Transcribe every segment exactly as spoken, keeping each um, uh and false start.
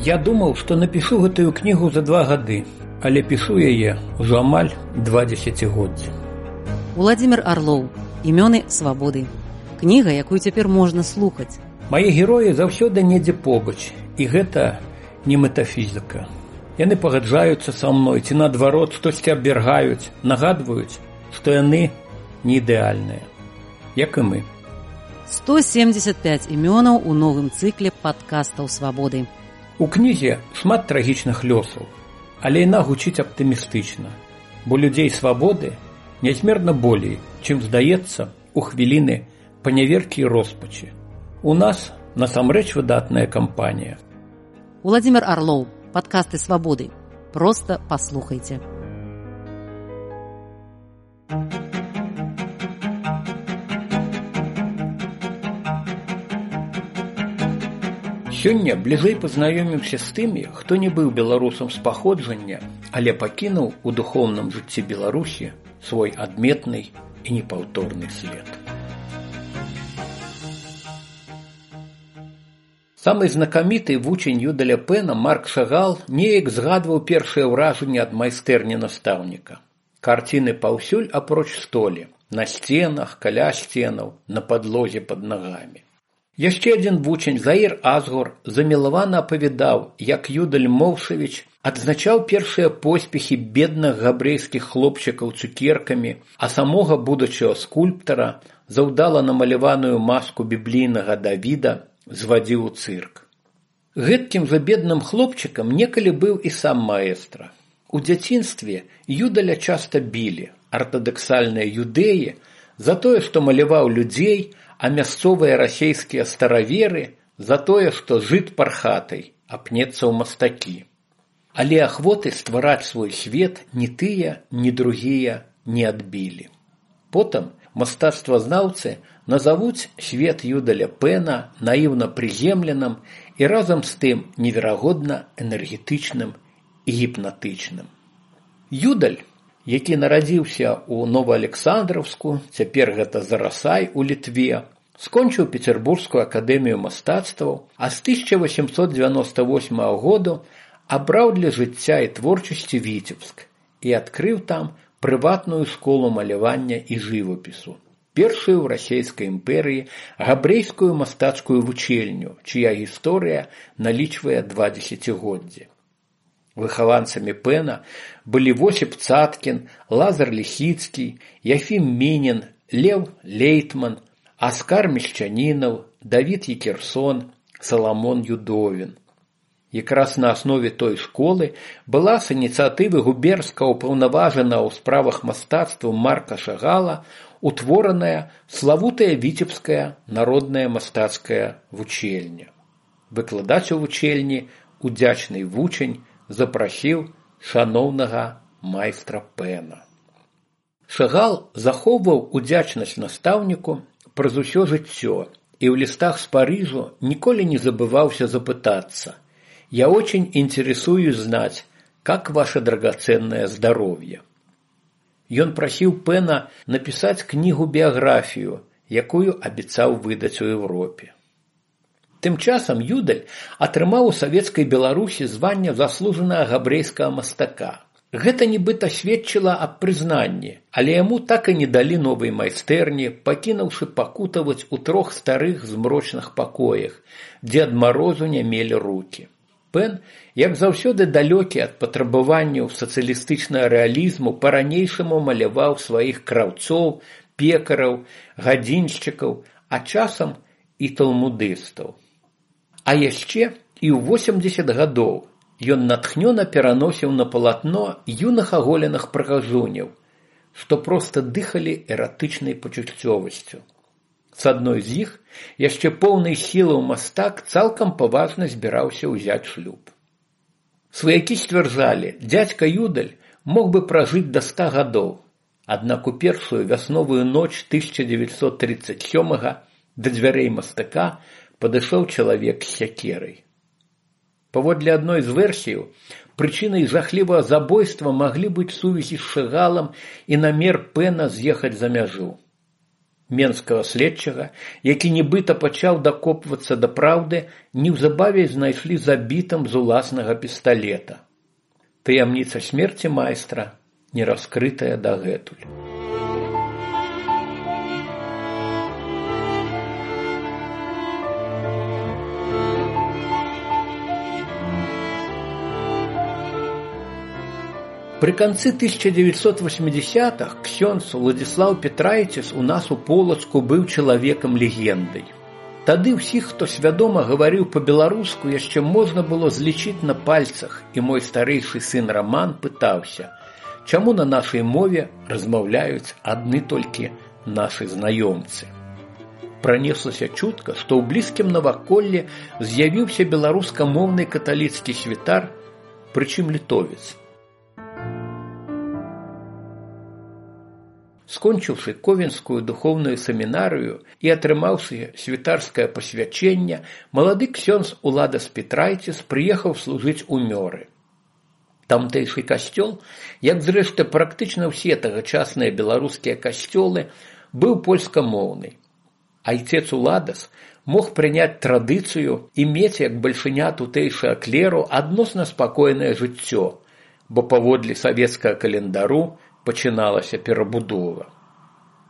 Я думаў, што напішу гэтую кнігу за два гады, але пішу яе ўжо амаль два дзесяцігоддзі. Уладзімір Арлоў. Імёны свабоды. Кніга, якую цяпер можна слухаць. Мае героі заўсёды недзе побач, і гэта не метафізіка. Яны пагаджаюцца са мной, ці наадварот штосьці абвяргаюць, нагадваюць, што яны не ідэальныя, як і мы. сто семьдесят пять імёнаў у новым цыкле падкастаў свабоды. У кнізе шмат трагічных лёсаў, але яна гучыць аптымістычна, бо людзей свабоды нязмерна болей, чым здаецца у хвіліны паняверкі і роспачы. У нас насамрэч выдатная кампанія. Уладзімір Арлоў. Падкасты свабоды. Проста паслухайце. Сёння бліжэй пазнаёмімся з тымі, хто не быў беларусам з паходжання, але пакінуў у духоўным жыцці Беларусі свой адметны і непаўторны след. Самы знакаміты вучань Юдаля Пэна Марк Шагал неяк згадваў першае ўражанне ад майстэрні настаўніка. Карціны паўсюль апроч столі, на сценах, каля сценаў, на падлозе пад нагамі. Яшчэ адзін вучань Заір Азгур замілавана апавядаў, як Юдаль Моўшавіч адзначаў першыя поспехі бедных габрэйскіх хлопчыкаў цукеркамі, а самога будучага скульптара за ўдала намаляваную маску біблійнага Давіда звадзіў у цырк. Гэткім жа бедным хлопчыкам некалі быў і сам маэстра. У дзяцінстве Юдаля часта білі, артадаксальныя юдэі, за тое, што маляваў людзей, а мясцовыя расейскія стараверы за тое, што жыт пархатай, апнецца ў мастакі. Але ахвоты ствараць свой свет ні тыя, ні другія не адбілі. Потым мастацтвазнаўцы назавуць свет Юдаля Пэна наіўна прыземленым і разам з тым неверагодна энергетычным і гіпнатычным. Юдаль, які нарадзіўся ў Новаалександраўску, цяпер гэта Зарасай у Літве, скончыў Пецярбургскую акадэмію мастацтваў, а з тысяча восемьсот дзевяносто восьмага году абраў для жыцця і творчасці Віцебск і адкрыў там прыватную школу малявання і жывапісу, першую ў расійскай імперыі габрэйскую мастацкую вучэльню, чыя гісторыя налічвае два дзесяцігоддзі. Выхаванцамі Пэна былі Восіп Цаткін, Лазар Лісіцкі, Яфім Мінін, Леў Лейтман, Аскар Мещанінаў, Давід Екерсон, Саламон Юдовін. Якраз на аснове той школы была з ініцыятывы губернскага ўпаўнаважанага ў справах мастацтва Марка Шагала утвораная славутая Віцебская народная мастацкая вучэльня. Выкладаць у вучэльні удзячны вучань запрасіў шаноўнага майстра Пэна. Шагал захоўваў удзячнасць настаўніку праз усё жыццё і ў лістах з Парыжу ніколі не забываўся запытацца: «Я очень интересуюсь знать, как ваше драгоценное здоровье». Ён прасіў Пэна напісаць кнігу-біяграфію, якую абяцаў выдаць у Еўропе. Тым часам Юдаль атрымаў у савецкай Беларусі званне заслужанага габрэйскага мастака. Гэта нібыта сведчыла аб прызнанні, але яму так і не далі новай майстэрні, пакінуўшы пакутаваць у трох старых змрочных пакоях, дзе ад марозу не мелі рукі. Пэн, як заўсёды далёкі ад патрабаванняў сацыялістычнага рэалізму, па-ранейшаму маляваў сваіх краўцоў, пекараў, гадзіншчыкаў, а часам і талмудыстаў. А яшчэ і ў восемдзесят гадоў ён натхнёна пераносіў на палатно юных аголеных прыгажуняў, што проста дыхалі эратычнай пачуццёвасцю. З адной з іх, яшчэ поўнай сілаў мастак цалкам паважна збіраўся ўзяць шлюб. Сваякі сцвярджалі, дзядзька Юдаль мог бы пражыць да ста гадоў, аднак у першую вясновую ноч тысяча дзевяцьсот тридцать сёмага да дзвярэй мастака падышоў чалавек з сякерай. Паводле адной з версіяў, прычынай жахлівага забойства маглі быць сувязі з Шагалам і намер Пэна з'ехаць за мяжу. менскага следчага, які нібыта пачаў дакопвацца да праўды, неўзабаве знайшлі забітым з уласнага пісталета. Таямніца смерці майстра не раскрытая дагэтуль. При конце тысяча девятьсот восьмидесятых ксёндз Уладзіслаў Петрайціс у нас у Полацку быў чалавекам-легендай. Тады ўсіх, хто свядома гаварыў па-беларуску, яшчэ можна было злічыць на пальцах, і мой старэйшы сын Раман пытаўся, чаму на нашай мове размаўляюць адны толькі нашы знаёмцы. Пранеслася чутка, што ў блізкім наваколлі з'явіўся беларускамоўны каталіцкі святар, прычым літовец. Скончыўшы Ковенскую духоўную семінарыю і атрымаўшы святарскае пасвячэнне, малады ксёндз Уладас Петрайціс прыехаў служыць у Мёры. Тамтэйшы касцёл, як зрэшты практычна ўсе тагачасныя беларускія касцёлы, быў польскамоўны. Айцец Уладас мог прыняць традыцыю і мець як бальшыня тутэйшага клеру адносна спакойнае жыццё, бо паводле савецкага календару пачыналася перабудова.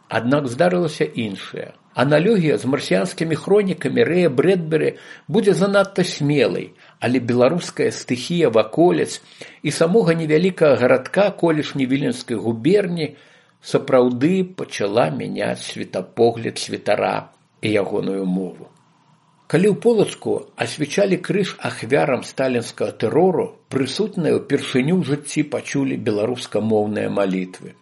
Аднак здарылася іншае. Аналогія з марсіянскімі хронікамі Рэя Брэдбері будзе занадта смелай, але беларуская стыхія ваколіц і самога невялікага гарадка колішняй Віленскай губерні сапраўды пачала мяняць светапогляд святара і ягоную мову. Калі ў Полацку асвячалі крыж ахвярам сталінскага тэрору, прысутныя ўпершыню ў жыцці пачулі беларускамоўныя малітвы.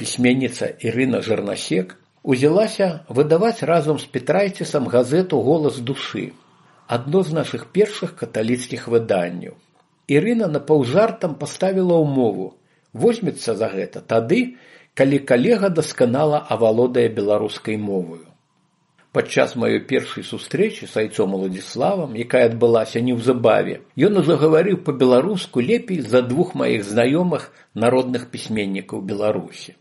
Пісьменніца Ірына Жырнасек узялася выдаваць разам з Петрайцісам газету «Голас душы», адно з нашых першых каталіцкіх выданняў. Ірына напаўжартам паставіла ўмову: возьмецца за гэта тады, калі калега дасканала авалодае беларускай моваю. Падчас маёй першай сустрэчы з айцом Уладзіславам, якая адбылася неўзабаве, ён загаварыў па-беларуску лепей за двух маіх знаёмых народных пісьменнікаў Беларусі.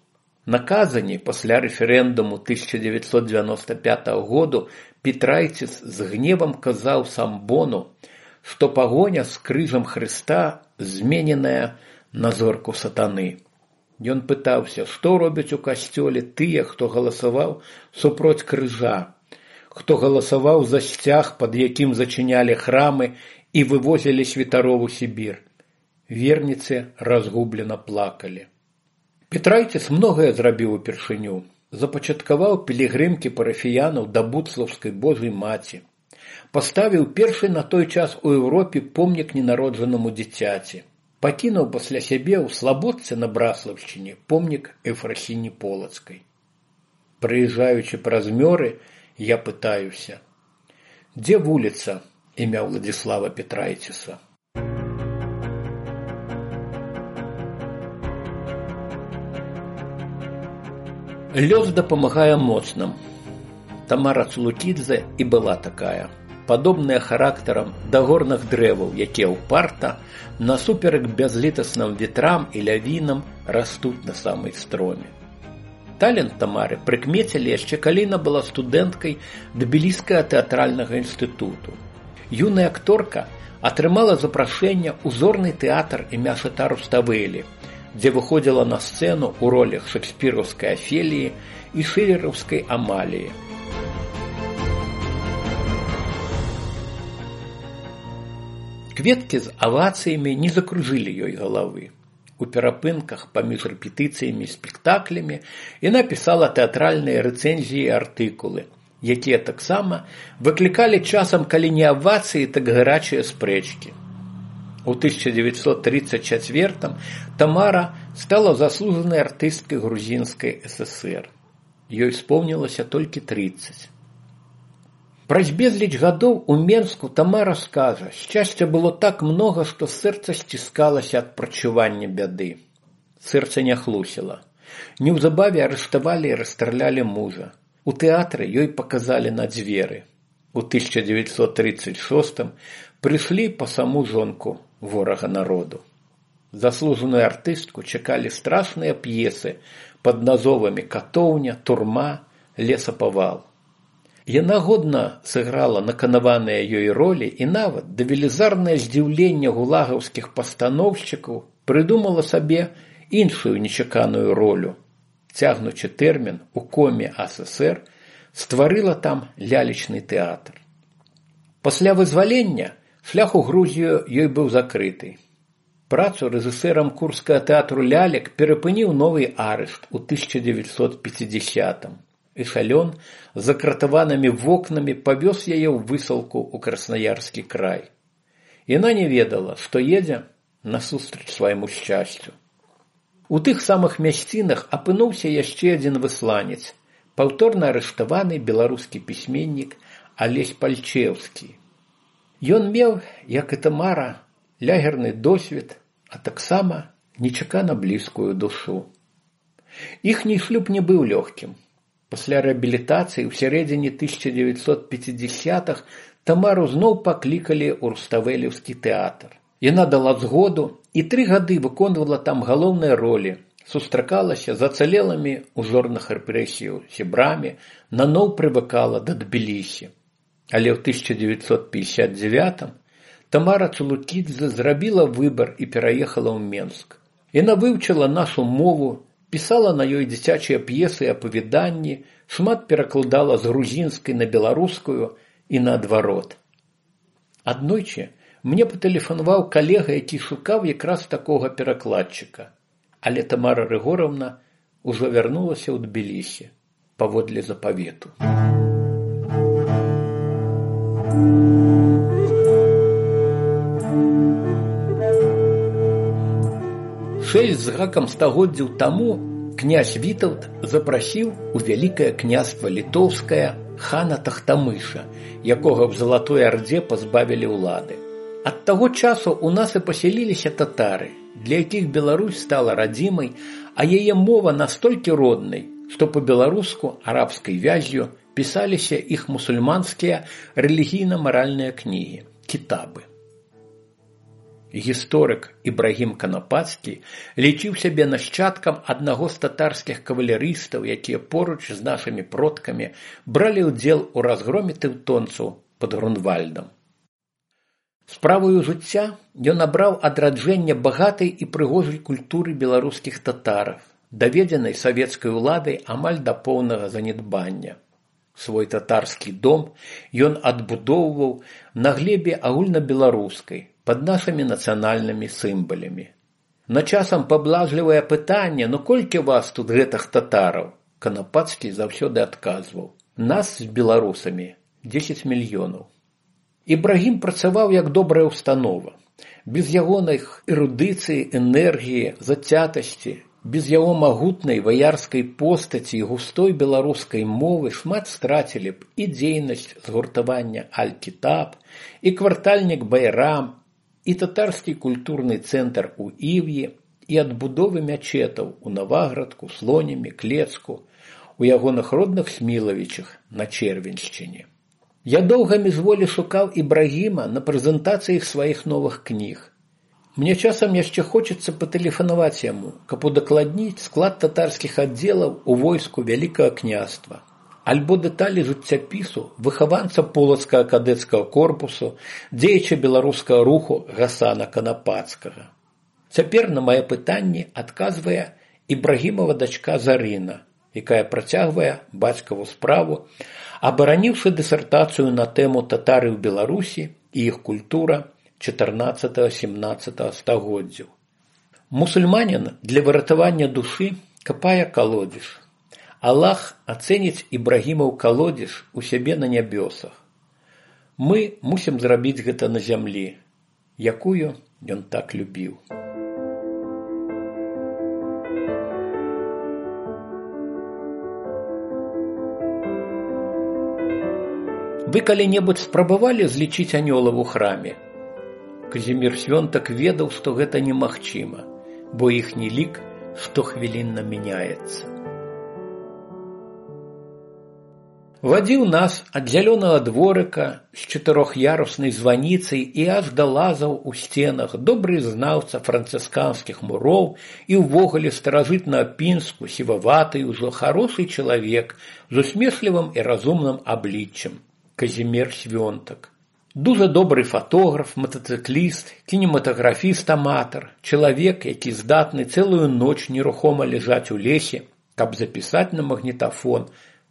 На Казані пасля рэферэндуму тысяча девятьсот девяносто пятого году Петрайціс з гневам казаў Самбону, што пагоня з крыжам Хрыста змененая на зорку сатаны. Ён пытаўся, што робяць у касцёле тыя, хто галасаваў супроць крыжа, хто галасаваў за сцяг, пад якім зачынялі храмы і вывозілі святароў у Сібір. Верніцы разгублена плакалі. Петрайціс многае зрабіў упершыню. Запачаткаваў пілігрымкі парафіянаў да Буцлаўскай Божай Маці. Паставіў першы на той час у Еўропе помнік ненароджанаму дзіцяці. Пакінуў пасля сябе ў Слабодцы на Браслаўшчыне помнік Ефрасіні Полацкай. Прыязджаючы праз Мёры, я пытаюся, дзе вуліца імя Уладзіслава Петрайціса? Лёс дапамагае моцным. Тамара Цулукідзе і была такая, падобная характарам да горных дрэваў, якія ўпарта, насуперак бязлітасным ветрам і лявінам растуць на самай строме. Талент Тамары прыкмецілі яшчэ калі яна была студэнткай Тбіліскага тэатральнага інстытуту. Юная акторка атрымала запрашэнне ў зорны тэатр імя Шата Руставелі, дзе выходзіла на сцэну ў ролях шекспіраўскай Афеліі і шылераўскай Амаліі. Кветкі з авацыямі не закружылі ёй галавы. У перапынках паміж рэпетыцыямі і спектаклямі яна пісала тэатральныя рэцэнзіі і артыкулы, якія таксама выклікалі часам, калі не авацыі, так гарачыя спрэчкі. У тысяча девятьсот тридцать четвёртым Тамара стала заслужанай артысткай грузінскай эс эсэр. Ёй спомнілася толькі тридцать. Праз безліч гадоў у Менску Тамара скажа, шчасця было так многа, што сэрца сціскалася ад прачування бяды. Сэрца не хлусіла. Неўзабаве арыштавалі і расстралялі мужа. У тэатры ёй паказалі на дзверы. У тысяча девятьсот тридцать шостым прыйшлі па саму жонку ворага народу. Заслужаную артыстку чакалі страшныя п'есы пад назовамі «Катоўня», «Турма», лесапавал. Яна годна сыграла наканаваныя ёй ролі і нават да велізарнае здзіўлення гулагаўскіх пастаноўшчыкаў прыдумала сабе іншую нечаканую ролю. Цягнучы тэрмін у коме АССР, стварыла там лялечны тэатр. Пасля вызвалення шлях у Грузію ёй быў закрыты. Працу рэжысэрам Курскага тэатру лялек перапыніў новы арышт у тысяча дзевяцьсот пяцідзясятым. Эшалён з закратаванымі вокнамі павёз яе ў высылку ў Краснаярскі край. Яна не ведала, што едзе насустрач свайму шчасцю. У тых самых мясцінах апынуўся яшчэ адзін высланец, паўторна арыштаваны беларускі пісьменнік Алесь Пальчеўскі. Ён меў, як і Тамара, лягерны досвед, а таксама нечакана блізкую душу. Іхні шлюб не быў лёгкім. Пасля рэабілітацыі ў сярэдзіне тысяча дзевяцьсот пяцідзясятых Тамару зноў паклікалі ў Руставелеўскі тэатр. Яна дала згоду і тры гады выконвала там галоўныя ролі, сустракалася з ацалелымі ў зорных рэпрэсіяў сябрамі, наноў прывыкала да Тбілісі. Але ў тысяча дзевяцьсот пятьдесят девятым Тамара Цулукідзе зрабіла выбар і пераехала ў Менск. Яна вывучыла нашу мову, пісала на ёй дзіцячыя п'есы і апавяданні, шмат перакладала з грузінскай на беларускую і наадварот. Аднойчы мне патэлефанаваў калега, які шукаў якраз такога перакладчыка. Але Тамара Рыгоровна ўжо вярнулася ў Тбілісі паводле запавету. Шэсць з гакам стагоддзяў таму князь Вітаўт запрасіў у вялікае княства літоўскае хана Тахтамыша, якога в Залатой Орде пазбавілі ўлады. Ад таго часу у нас і пасяліліся татары, для якіх Беларусь стала радзімай, а яе мова настолькі роднай, што па-беларуску арабскай вяззю пісаліся іх мусульманскія рэлігійна-маральныя кнігі, кітабы. Гісторык Ібрагім Канапацкі лічыў сябе нашчадкам аднаго з татарскіх кавалерыстаў, якія поруч з нашымі продкамі бралі ўдзел у разгроме тэўтонцаў пад Грунвальдам. Справаю жыцця ён абраў адраджэнне багатай і прыгожай культуры беларускіх татараў, даведзенай савецкай уладай амаль да поўнага занядбання. Свой татарскі дом ён адбудоўваў на глебе агульнабеларускай, пад нашымі нацыянальнымі сімвалямі. На часам паблажлівае пытанне, ну колькі вас тут гэтых татараў? Канапацкі заўсёды адказваў: нас з беларусамі дзесяць мільёнаў. Ібрагім працаваў як добрая ўстанова. Без ягоных эрудыцыі, энергіі, зацятасці, без яго магутнай ваярскай постаці і густой беларускай мовы шмат страцілі б і дзейнасць згуртавання Аль-Кітаб, і квартальнік Байрам, і татарскі культурны цэнтр у Ів'і, і адбудовы мячэтаў у Наваградку, Слонімі, Клецку, у ягоных родных Смілавічах на Чэрвеншчыне. Я доўга міжволі шукаў Ібрагіма на прэзентацыях сваіх новых кніг. Мне часам яшчэ хочацца патэлефанаваць яму, каб удакладніць склад татарскіх аддзелаў у войску Вялікага княства, альбо дэталі жыццяпісу выхаванца полацкага кадэцкага корпусу, дзеяча беларускага руху Гасана Канапацкага. Цяпер на мае пытанні адказвае Ібрагімова дачка Зарына, якая працягвае бацькаву справу, абараніўшы дысертацыю на тэму татары ў Беларусі і іх культура чатырнаццатага-сямнаццатага стагоддзяў. Мусульманін для выратавання душы капае калодзеж. Аллах ацэніць Ібрагімаў калодзеж у сябе на нябёсах. Мы мусім зрабіць гэта на зямлі, якую ён так любіў. Вы калі-небудзь спрабавалі злічыць анёлаў у храме? Казімір Свёнтак ведаў, што гэта немагчыма, бо іхні лік штохвілінна мяняецца. Вадзіў нас ад зялёнага дворыка з чатырох'яруснай званіцай і аж да лазаў у сценах, добры знаўца францысканскіх муроў і ўвогуле старажытна пінску, сіваваты ўжо харошы чалавек з усмешлівым і разумным абліччам Казімер Свёнтак. Дужа добры фатограф, матацыкліст, кінематаграфіст-аматар, чалавек, які здатны цэлую ноч нерухома ляжаць у лесе, каб запісаць на магнітафон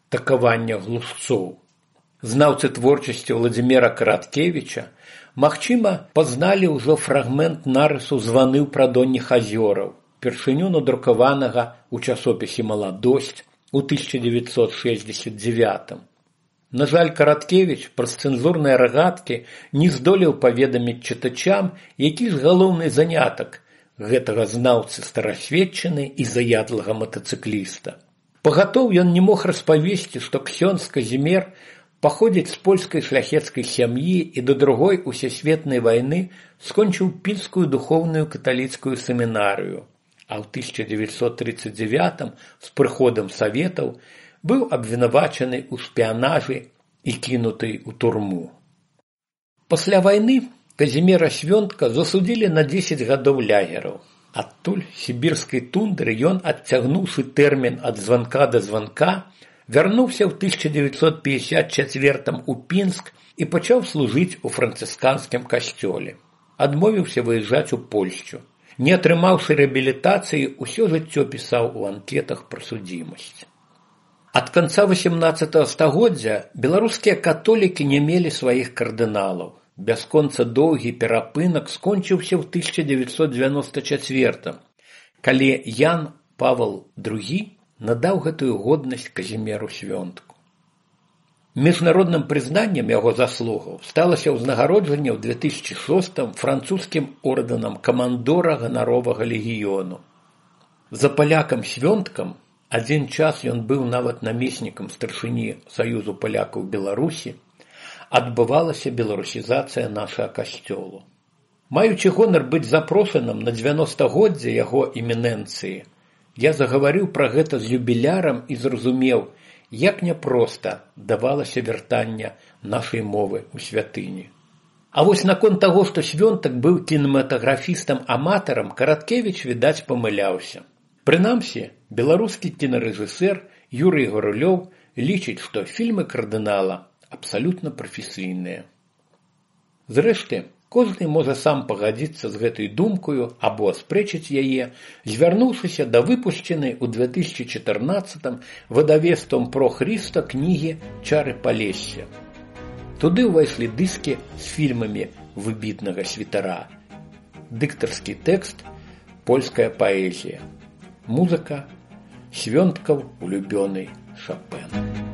такавання глушцоў. Знаўцы творчасці Владзіміра Караткевіча, магчыма, пазналі ўжо фрагмент нарысу «Званы ў прадонніх азёраў», першыню надрукаванага ў часопісе «Маладосць» у тысяча девятьсот шестьдесят девятым. На жаль, Караткевіч праз цэнзурныя рагаткі не здолеў паведаміць чытачам, які ж галоўны занятак гэтага знаўцы старасветчыны і заядлага матацыкліста. Пагатоў ён не мог распавесці, што ксёндз Казімер паходзіць з польскай шляхецкай сям'і і да другой усесветнай вайны скончыў пінскую духоўную каталіцкую семінарыю, а ў тысяча девятьсот тридцать девятым з прыходам саветаў быў абвінавачаны ў шпіянажы і кінуты ў турму. Пасля вайны Казімера Свёнтка засудзілі на дзесяць гадоў лагераў. Адтуль сібірскай тундры ён, адцягнуўшы тэрмін ад званка да званка, вярнуўся ў тысяча девятьсот пятьдесят четвёртым у Пінск і пачаў служыць у францысканскім касцёле. Адмовіўся выязджаць у Польшчу. Не атрымаўшы рэабілітацыі, усё жыццё пісаў у анкетах пра судзімасць. Ад канца васемнаццатага стагоддзя беларускія католікі не мелі сваіх кардыналаў. Бясконца доўгі перапынак скончыўся ў тысяча девятьсот девяносто четвёртым, калі Ян Павел другі надаў гэтую годнасць Казімеру Свёнтку. Міжнародным прызнаннем яго заслугаў сталася ўзнагароджанне ў две тысячи шостым французскім ордэнам камандора ганаровага легіёну. За палякам Свёнткам адзін час ён быў нават намеснікам старшыні Саюзу палякаў Беларусі, адбывалася беларусізацыя нашага касцёлу. Маючы гонар быць запрошаным на дзевяностагоддзе яго эмінэнцыі, я загаварыў пра гэта з юбілярам і зразумеў, як няпроста давалася вяртання нашай мовы ў святыні. А вось наконт таго, што Свёнтак быў кінематаграфістам-аматарам, Караткевіч, відаць, памыляўся. Прынамсі, беларускі кінарэжысэр Юрый Гарулёў лічыць, што фільмы кардынала абсалютна прафесійныя. Зрэшты, кожны можа сам пагадзіцца з гэтай думкаю або аспрэчыць яе, звярнуўшыся да выпушчанай у две тысячи чатырнаццатым выдавецтвам Про Христа кнігі «Чары Палесся». Туды ўвайшлі дыскі з фільмамі выбітнага святара, дыктарскі тэкст, польская паэзія, музыка, Свёнткаў улюбёны Шопен.